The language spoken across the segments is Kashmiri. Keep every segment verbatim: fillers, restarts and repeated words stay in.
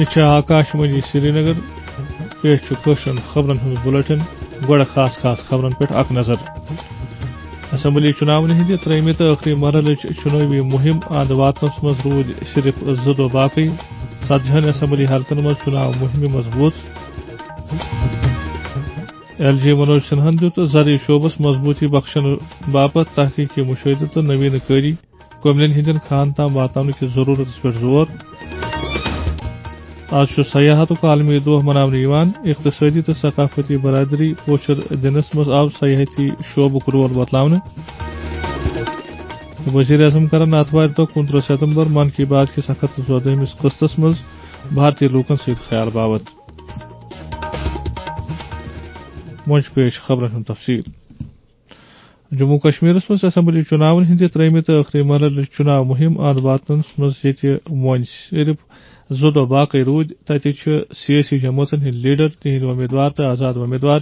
یہِ چھِ آکاش وانی سرینگر۔ پیش چھُ کٲشرٮ۪ن خبرن ہُنٛد بُلٹن۔ گۄڈٕ خاص خاص خبرن پٮ۪ٹھ اکھ نظر۔ اسمبلی چُناون ہٕنٛدِ ترٛیٚیمہِ تہٕ ٲخری مرحلٕچ چُنٲوی مُہِم اند واتنس منٛز روٗدۍ صرف زٕ دۄہ باقٕے۔ ژتجی ہن اسمبلی حلقن منٛز چُناو مُہِمہِ منٛز ووت۔ ایل جی منوج سنہن دیُت زرعی شعبس مضبوٗطی بخشنہٕ باپتھ تحقیقی مشاہدٕ تہٕ نوینہٕ کٲری کٔملٮ۪ن ہٕنٛدٮ۪ن کھاہن تام واتناونہٕ کِس ضروٗرتس پٮ۪ٹھ زور۔ آز چھُ سیاحتُک عالمی دۄہ مناونہٕ یِوان۔ اقتصٲدی تہٕ ثقافتی برادری پوچھر دِنس منٛز آو سیاحتی شعبُک رول بتلاونہٕ۔ وزیر اعظم کرن آتھوارِ دۄہ، کُنترٕہ ستمبر، من کی بات کِس اکھ ہتھ تہٕ ژۄدہمِس قسطس منٛز بھارتی لوٗکن سۭتۍ خیال باوت۔ وۄنۍ چھُ پیش خبرن ہُنٛد تفصیل۔ جموں کشمیرس منٛز اسمبلی چُناون ہٕنٛدِ ترٛیٚیمہِ تہٕ ٲخری مرحلٕچ چُناو مُہِم اند واتنس منٛز ییٚتہِ وۄنۍ صرف زٕ دۄہ باقٕے روٗدۍ، تَتہِ چھِ سیٲسی جمٲژن ہٕنٛدۍ لیڈر، تِہنٛدۍ وۄمیدوار تہٕ آزاد وۄمیدوار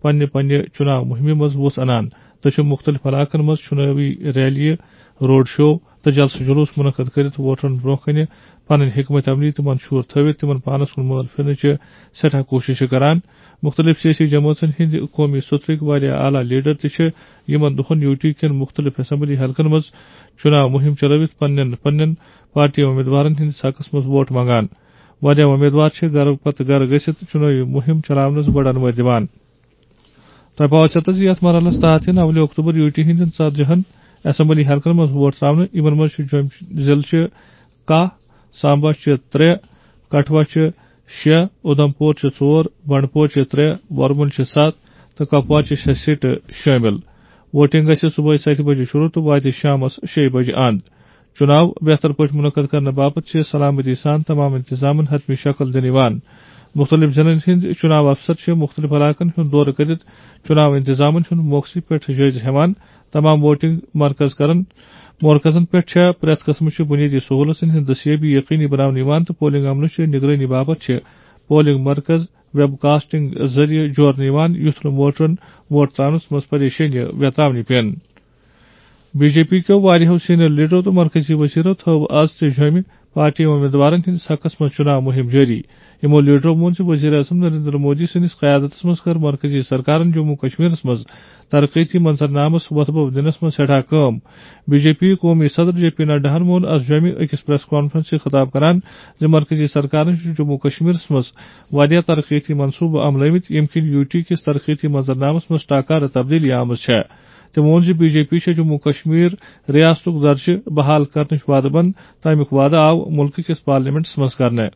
پننہِ پننہِ چُناو مُہِمہِ منٛز وُژھ انان تہٕ چھِ مُختٔلِف علاقن منٛز چُنٲوی ریلیہِ، روڈ شو تہٕ جلسہٕ جلوس منعقد کٔرِتھ ووٹرن برونٛہہ کنہِ پنٕنۍ حکمت عملی تہٕ منشور تھٲوِتھ تِمن پانس کُن مٲل پھِرنٕچہِ سٮ۪ٹھاہ کوٗششہٕ کران۔ مُختٔلِف سیٲسی جمٲژن ہٕنٛدۍ قومی سوٚترٕکۍ واریاہ اعلیٰ لیڈر تہِ چھِ یِمن دۄہن یوٗ ٹی کٮ۪ن مُختٔلِف اسمبلی حلقن منٛز چُناو مُہِم چلٲوِتھ پننٮ۪ن پننٮ۪ن پارٹی امیدوارن ہٕنٛدِس حقس منٛز ووٹ منٛگان۔ واریاہ امیدوار چھِ گرٕ پتہٕ گرٕ گٔژھِتھ چُنٲوی مُہِم چلاونس بڑن وٲتۍ دِوان۔ تۄہہِ پاوو ژےٚ تہٕ زِ یتھ مرحلس تحت یِن اولہِ اکتوبر یوٗ ٹی ہٕنٛدٮ۪ن ژتجی ہن اسمبلی حلقن منٛز ووٹ تراونہٕ۔ یِمن منٛز چھِ جوٚم ضلعہٕ چھِ کاہ، سامبا چھِ ترٛےٚ، کٹھوا چھِ شےٚ، اُدھمپور چھِ ژور، بنڈپور چھِ ترٛےٚ، ورمُل چھِ ستھ تہٕ کپوار چھِ شےٚ سیٹہٕ شٲمِل۔ ووٹنگ گژھِ صبحٲے ستہِ بجہِ شروع تہٕ واتہِ شامس شیٚیہِ بجہِ اند۔ چُناو بہتر پٲٹھۍ منعقد کرنہٕ باپتھ چھِ سلامتی سان تمام انتظامن حتمی شکل دِنہٕ یِوان۔ مُختٔلِف ضلعن ہٕنٛدۍ چُناو افسر چھِ مُختٔلِف علاقن ہُنٛد دورٕ کٔرِتھ چُناو انتظامن ہُنٛد موقعہٕ پٮ۪ٹھ جٲیزٕ ہٮ۪وان۔ تمام ووٹنگ مرکز کرن، مرکزن پٮ۪ٹھ چھےٚ پرٛٮ۪تھ قٕسمٕچہِ بُنیٲدی سہوٗلژن ہٕنٛز دٔستیٲبی یقینی بناونہٕ یِوان تہٕ پولنگ عملہٕ چہِ نگرٲنی باپتھ چھِ پولنگ مرکز ویب کاسٹنگ ذٔریعہٕ جوڑنہٕ یِوان، یُتھ نہٕ ووٹرن ووٹ ترٛاونس منٛز پریشٲنی ویتراونہِ پٮ۪ن۔ بی جے پی کیو واریاہو سینئر لیڈرو تہٕ مرکزی وزیرو تھٲو از تہِ جوٚمہِ پارٹی امیدوارن ہٕنٛدِس حقس منٛز چُناو مُہِم جٲری۔ یِمو لیڈرو ووٚن زِ وزیر اعظم نریندر مودی سٕنٛدِس قیادتس منٛز کٔر مرکزی سرکارن جموں کشمیرس منٛز ترقیتی منظرنامس وۄتھٕ بوٚو دِنس منٛز سٮ۪ٹھاہ کٲم۔ بی جے پی قومی صدر جے پی نڈاہن ووٚن از جوٚمہِ أکِس پریس کانفرنس سۭتۍ خطاب کران زِ مرکزی سرکارن چھُ جموں کشمیرس منٛز واریاہ ترقیتی منصوبہٕ عملٲومٕتۍ، ییٚمہِ کِنۍ یوٗ ٹی کِس ترقیتی منظرنامس منٛز ٹاکارٕ تبدیلی آمٕژ چھےٚ۔ تٔمۍ ووٚن زِ بی جے پی چھےٚ جموں کشمیر ریاستُک درجہٕ بحال کرنٕچ وعدٕ بنٛد، تہٕ اَمیُک وعدٕ آو مُلکہٕ کِس پارلیمنٹس منٛز کرنہٕ۔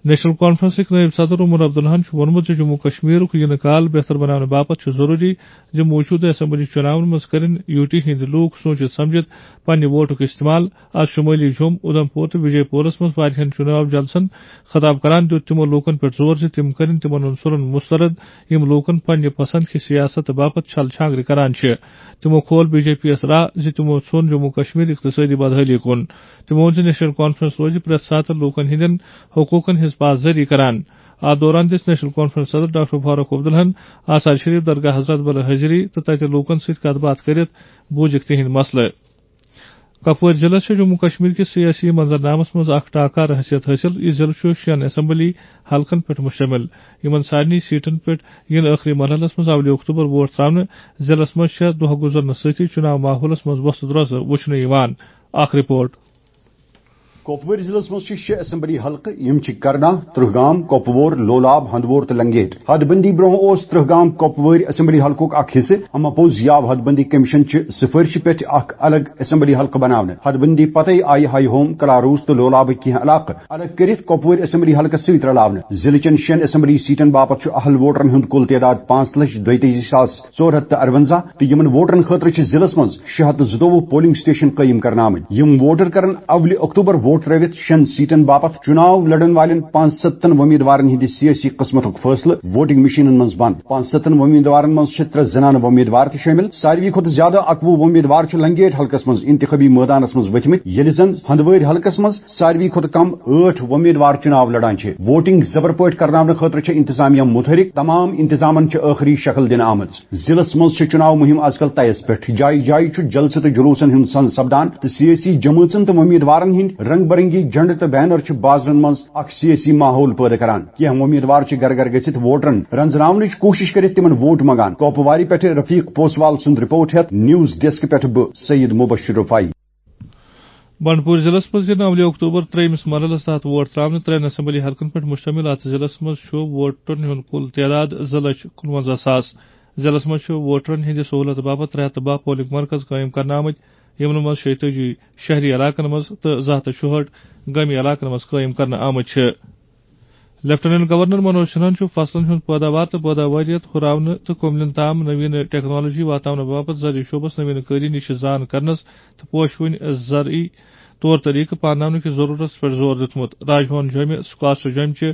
نیشنل کانفرنسٕکۍ نٲیِب صدر عمر عبداللہن چھُ ووٚنمُت زِ جموں کشمیرُک یِنہٕ کال بہتر بناونہٕ باپتھ چھُ ضروٗری زِ موٗجوٗدٕ اسمبلی چُناون منٛز کٔرِن یوٗ ٹی ہٕنٛدۍ لوٗکھ سوٗنچِتھ سمجھِتھ پننہِ ووٹُک استعمال۔ از شُمٲلی جوٚم، اُدھمپور تہٕ وِجے پورس منٛز واریاہن چُناو جلسن خطاب کران دیُت تِمو لوٗکن پٮ۪ٹھ زور زِ تِم کٔرِن تِمن عنصرن مسترد، یِم لوٗکن پننہِ پسند کہِ سیاست باپتھ چھل چھانگرِ کران چھِ۔ تِمو کھول بی جے پی یَس راہ زِ تِمو ژھوٚن جموں کشمیر اقتصٲدی بدحٲلی کُن۔ تِمو ووٚن زِ نیشنل کانفرنس روزِ پرٛٮ۪تھ ساتہٕ لوٗکن ہٕنٛدٮ۪ن حقوٗقن ہٕنٛز پاسدٲری کران۔ اتھ دوران دِژ نیشنل کانفرنس صدر ڈاکٹر فاروق عبداللہن آثار شریف درگاہ حضرت بل حٲضری تہٕ تتہِ لوٗکن سۭتۍ کتھ باتھ کٔرِتھ بوٗزِکھ تِہنٛدۍ مسلہٕ۔ کپوٲرۍ ضلعس چھےٚ جموں کشمیر کِس سیٲسی منظرنامس منٛز اکھ ٹاکار حیثیت حٲصِل۔ یہِ ضلعہٕ چھُ شٮ۪ن اسمبلی حلقن پٮ۪ٹھ مشتمل، یِمن سارنٕے سیٹن پٮ۪ٹھ یِن ٲخری مرحلس منٛز اولہِ اکتوبر ووٹ تراونہٕ۔ ضلعس منٛز چھےٚ دۄہ گُزرنہٕ سۭتی چُناو ماحولس منٛز وۄژھ درۄژھ وٕچھنہٕ یِوان۔ اکھ رپورٹ۔ کۄپوٲرۍ ضلعس منٛز چھِ شےٚ اسمبلی حلقہٕ، یِم چھِ کرنا، ترٛہگام، کۄپوور، لولاب، ہندوور تہٕ لنگیٹ۔ حد بندی برونٛہہ اوس ترٛہگام کۄپوٲرۍ اسمبلی حلقُک اکھ حصہٕ، اما پوٚز یہِ آو حد بندی کمیشن چہِ سفارشہِ پٮ۪ٹھ اکھ الگ اسمبلی حلقہٕ بناونہٕ۔ حد بندی پتے آیہِ ہائی ہوم، کلاروس تہٕ لولابٕکۍ کینٛہہ علاقہٕ الگ کٔرِتھ کۄپوٲرۍ اسمبلی حلقس سۭتۍ رلاونہٕ۔ ضلعہٕ چٮ۪ن شٮ۪ن اسمبلی سیٹن باپتھ چھُ اہل ووٹرن ہُنٛد کُل تعداد پانٛژھ لچھ دۄیتٲجی ساس ژور ہتھ تہٕ ارونزاہ تہٕ یِمن ووٹرن خٲطرٕ چھِ ضلعس منٛز شےٚ ہتھ تہٕ زٕتووُہ پولنگ سٹیشن قٲیِم کرنہٕ آمٕتۍ۔ یِم ووٹر کرن اولہِ اکتوبر ووٹ ترٲوِتھ شٮ۪ن سیٹن باپتھ۔ چُناو لڑن والٮ۪ن پانٛژستن وۄمیدوارن ہٕنٛدِ سیٲسی قٕسمتُک فٲصلہٕ ووٹنگ مشینن منٛز بنٛد۔ پانٛژستن وۄمیدوارن منٛز چھِ ترٛےٚ زنانہٕ وۄمیدوار تہِ شٲمِل۔ ساروی کھۄتہٕ زیادٕ اکوُہ وۄمیدوار چھِ لنگیٹ حلقس منٛز انتخابی مٲدانس منٛز ؤتھمٕتۍ، ییٚلہِ زن ہندوٲرۍ حلقس منٛز ساروی کھۄتہٕ کم ٲٹھ وۄمیدوار چُناو لڑان چھِ۔ ووٹنگ زبر پٲٹھۍ کرناونہٕ خٲطرٕ چھِ انتظامیہ متحرک۔ تمام انتظامن چھِ ٲخری شکل دِنہٕ آمٕژ۔ ضلعس منٛز چھِ چُناو مُہِم از کل طیس پٮ۪ٹھ۔ جایہِ جایہِ چھُ جلسہٕ تہٕ جلوسن ہُنٛد سنز سپدان تہٕ سیٲسی جمٲژن تہٕ وۄمیدوارن ہٕنٛدۍ رنگ برنگی جھنڈ تہٕ بینر چھِ بازرن منٛز اکھ سیٲسی ماحول پٲدٕ کران۔ کینٛہہ وۄمیدوار چھِ گرٕ گرٕ گٔژھِتھ ووٹرن رنزراونٕچ کوٗشش کٔرِتھ تِمن ووٹ منگان۔ کوپوارِ پٮ۪ٹھٕ رفیق پوسوال سُنٛد رپورٹ ہٮ۪تھ نیوز ڈیسک پٮ۪ٹھٕ بہٕ سید مبشر رفاعی۔ بنڈپور ضلعس منٛز یِن اولہِ اکتوبر ترٛیٚیمِس مرحلس تحت ووٹ ترٛاونہٕ۔ ترٛٮ۪ن اسمبلی حلقن پٮ۪ٹھ مشتمل اتھ ضلعس منٛز چھُ ووٹرن ہُنٛد کُل تعداد زٕ لچھ کُنوَنزاہ ساس۔ ضلعس منٛز چھُ ووٹرن ہٕنٛدِ سہولت باپتھ ترٛےٚ ہتھ تہٕ باہ پولنگ مرکز قٲیِم کرنہٕ آمٕتۍ، یِمن منٛز شیٚیہِ تٲجی شہری علاقن منٛز تہٕ زٕ ہتھ تہٕ شُہٲٹھ گٲمی علاقن منٛز قٲیِم کرنہٕ آمٕتۍ چھِ۔ لیفٹیننٹ گورنر منوج سنہاہن چھُ فصلن ہُنٛد پٲداوار تہٕ پٲداوٲریت ہُراونہٕ تہٕ کُملٮ۪ن تام نوین ٹیکنالوجی واتناونہٕ باپتھ زرعی شعبس نوین کٲری نِش زان کرنس تہٕ پوشوٕنۍ زرعی طور طریقہٕ پانناونہٕ کِس ضروٗرتس پٮ۪ٹھ زور دیُتمُت۔ راج بھون جوٚمہِ سکاسٹ جوٚمہِ چہِ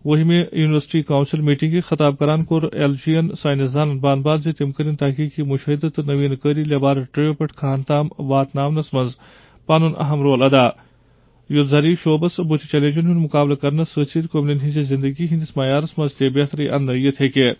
وُہمہِ یونیورسٹی کونسل میٹنگہِ خطاب کران کوٚر ایل جی ین ساینس دانن بان بان زِ تِم کٔرِن تحقیقی مشاہدٕ تہٕ نوین کٲری لیبارٹریو پٮ۪ٹھ کھہن تام واتناونس منٛز پنُن اہم رول ادا، یُتھ زرعی شعبس بُتھِ چیلنجن ہُنٛد مُقابلہٕ کرنس سۭتۍ سۭتۍ قومن ہٕنٛزِ زندگی ہٕنٛدِس معیارس منٛز تہِ بہتری اننہٕ یِتھ ہیٚکہِ۔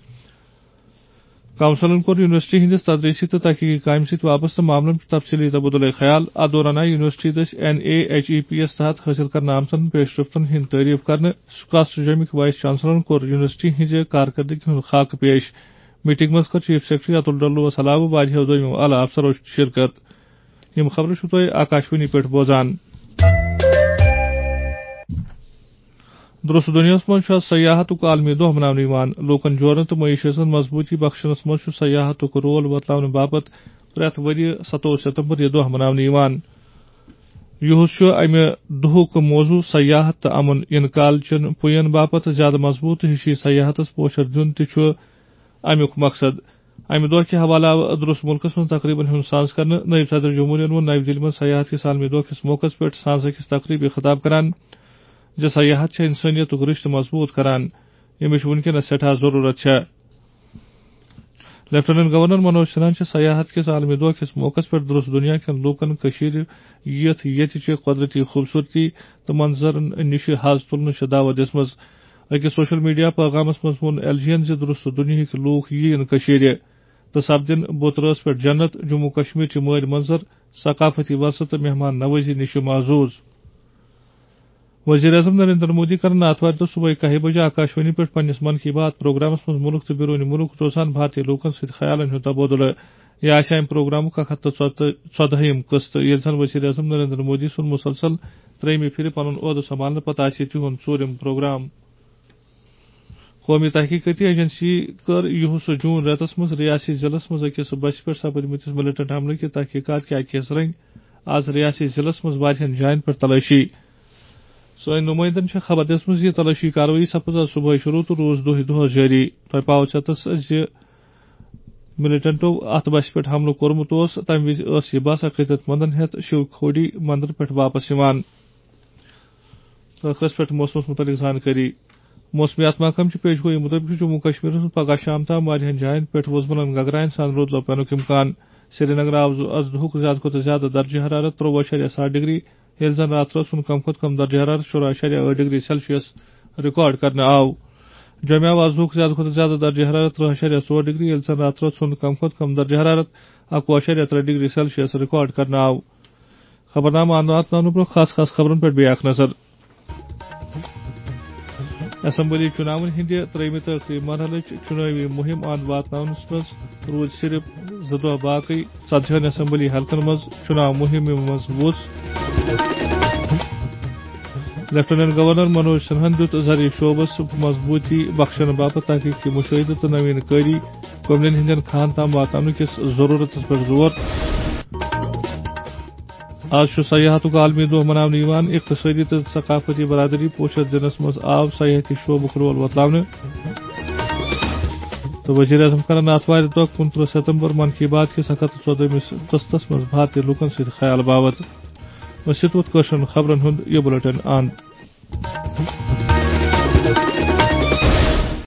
کونسلن کوٚر یونیورسٹی ہٕنٛدِس تدریسی تہٕ تحقیقی کامہِ سۭتۍ وابستہٕ معاملن پٮ۪ٹھ تفصیلی تبادلہ خیال۔ اتھ دوران آیہِ یونیورسٹی دٔسۍ N A H E P S تحت حٲصِل کرنہٕ آمژن پیش رفتن ہٕنٛدۍ تعریف کرنہٕ۔ سکاسٹ جوٚمِکۍ وائس چانسلرن کوٚر یونیورسٹی ہٕنٛزِ کارکردگی ہُنٛد خاکہٕ پیش۔ میٹنگ منٛز کٔر چیف سیکرٹری اتُل ڈلوس علاوٕ واریاہو دوٚیمو اعلیٰ افسرو شرکت۔ یِم خبرٕ چھِو تُہۍ آکاشوانی پٮ۪ٹھ بوزان۔ درست دُنیاہَس منٛز چھُ آز سیاحتُک عالمی دۄہ مناونہٕ یِوان۔ لوٗکَن جوڑنہٕ تہٕ معیشتَن مضبوٗطی بخشنَس منٛز چھُ سیاحتُک رول وۄتلاونہٕ باپتھ پرٛٮ۪تھ ؤرۍ یہِ ستووُہ ستمبر یہِ دۄہ مناونہٕ یِوان۔ یُہُس چھُ اَمہِ دۄہُک موضوع سیاحت تہٕ امن انقال چٮ۪ن پُیَن باپتھ زیادٕ مضبوٗط تہٕ ہِشی سیاحتَس پوچھر دیُن تہِ چھُ اَمیُک مقصد۔ اَمہِ دۄہ کہِ حوالہٕ آو درست مُلکَس منٛز تقریٖبن ہُنٛد ساز کرنہٕ۔ نٲیِب صدر جمہوٗریَن ووٚن نَوِ دِلہِ منٛز سیاحت کِس عالمی دۄہ کِس موقعس پٮ۪ٹھ سانزٕ أکِس تقریٖبہِ خطاب کران زِ سیاحت چھےٚ اِنسٲنیتُک رِشتہٕ مضبوٗط کران، ییٚمِچ وُنکیٚنَس سٮ۪ٹھاہ ضروٗرت چھےٚ۔ لیفٹیننٹ گورنر منوج سنہاہن چھِ سیاحت کِس عالمی دۄہ کِس موقعس پٮ۪ٹھ درست دُنیا کٮ۪ن لوٗکَن کٔشیٖرِ یِتھ ییٚتہِ چہِ قۄدرٔتی خوٗبصوٗرتی تہٕ منظرن نِش حظ تُلنٕچ دعوت دِژمٕژ۔ أکِس سوشل میڈیا پیغامس منٛز ووٚن ایل جی ین زِ درست دُنیاہٕکۍ لوٗکھ یِیِن کٔشیٖرِ تہٕ سپدن بُت رٲژ پٮ۪ٹھ جنت۔ جموں کشمیر چہِ مٲلۍ منظر، ثقافتی ورثہٕ تہٕ مہمان نوازی نِش معزوز۔ وزیر اعظم نریندر مودی کرن آتھوارِ دۄہ صبحٲے کاہہِ بجہِ آکاشوانی پٮ۪ٹھ پننِس من کی بات پروگرامس منٛز مُلک تہٕ بیروٗنی مُلک روزان بھارتی لوٗکن سۭتۍ خیالن ہُنٛد تبادلہٕ۔ یہِ آسہِ امہِ پروگرامُک اکھ ہتھ تہٕ ژۄدہِم قٕسط، ییٚلہِ زن وزیر اعظم نریندر مودی سُنٛد مُسلسل ترٛیٚیِمہِ پھِرِ پنُن عہدٕ سنبھالنہٕ پتہٕ آسہِ یہِ تِہُنٛد ژوٗرِم پروگرام۔ قومی تحقیقاتی ایجنسی کٔر یُہُس جون رٮ۪تس منٛز ریاستی ضلعس منٛز أکِس بسہِ پٮ۪ٹھ سپدمٕتِس ملیٹنٹ حملہٕ کہِ تحقیقات کہِ اکہِ حصہٕ رٔنگۍ آز ریاستی ضلعس منٛز واریاہن جاین پٮ۪ٹھ تلٲشی۔ سٲنۍ نُمٲیندن چھےٚ خبر دِژمٕژ زِ تلٲشی کاروٲیی سپٕز آز صبحٲے شروٗع تہٕ روٗز دۄہے دۄہس جٲری۔ تۄہہِ پاوٕ ژٮ۪تس زِ ملیٹنٹو اتھ بسہِ پٮ۪ٹھ حملہٕ کوٚرمُت اوس، تمہِ وِزِ ٲس یہِ بس عقیدت مندن ہٮ۪تھ شِو کھوڈی مندر پٮ۪ٹھ واپس یِوان۔ ٲخرس پٮ۪ٹھ موسمس متعلق زانکٲری۔ موسمیات محکمہٕ چہِ پیشگویی مُطٲبِق چھُ جموں کشمیرس منٛز پگہہ شام تام واریاہن جاین پٮ۪ٹھ وُزملن گگراین سان رُد لۄپینُک امکان۔ سرینگرٕ آو از دُہُک زیادٕ کھۄتہٕ زیادٕ درجہ حرارت ترٛۆوُہ اَشاریہ ستھ ڈگری، ییٚلہِ زن راتھ رٲژ ہُنٛد کم کھۄتہٕ کم درجہ حرارت شُراہ اَشاریہ ٲٹھ ڈگری سیلسیس ریکارڈ کرنہٕ آو۔ جوٚمہِ آو از دُہُک زیادٕ کھۄتہٕ زیادٕ درجہ حرارت ترٛۆوُہ اَشاریہ ژور ڈگری، ییٚلہِ زن راتھ رٲژ ہُنٛد کم کھۄتہٕ کم درجہ حرارت اَکوُہ اَشاریہ ترٛےٚ ڈگری سیلسیس ریکارڈ کرنہٕ آو۔ خبرنامہٕ اندر واتناونہٕ برونٛہہ خاص خاص خبرن پٮ۪ٹھ بیٚیہِ اکھ نظر۔ اسمبلی چُناون ہٕنٛدِ ترٛیٚیمہِ تہٕ ٲخری مرحلٕچ چُنٲوی مُہِم اند واتناونس منٛز روٗدۍ صرف زٕ دۄہ باقٕے۔ ژتجی ہن اسمبلی حلقن منٛز چُناو مُہِمہِ منٛز وُژھ۔ لیفٹیننٹ گورنر منوج سنہاہن دیُت زرعی شعبس مضبوٗطی بخشنہٕ باپتھ تحقیقی مُشٲہدٕ تہٕ نوین کٲری کملین ہٕنٛدٮ۪ن کھہن تام واتناونہٕ کِس ضروٗرتس پٮ۪ٹھ زور۔ آز چھُ سیاحتُک عالمی دۄہ مناونہٕ یِوان۔ اقتصٲدی تہٕ ثقافتی برادری پوشش دِنَس منٛز آو سیاحتی شعبُک رول وۄتلاونہٕ۔ تہٕ وزیر اعظم کرن آتھوارِ دۄہ کُنترٕہ ستمبر من کی بات کِس اکھ ہتھ تہٕ ژۄدہمِس قسطس منٛز بھارتی لوٗکن سۭتۍ خیال باوت۔ ٲسِو تُہۍ کٲشرٮ۪ن خبرن ہُنٛد یہِ بُلٹن اند۔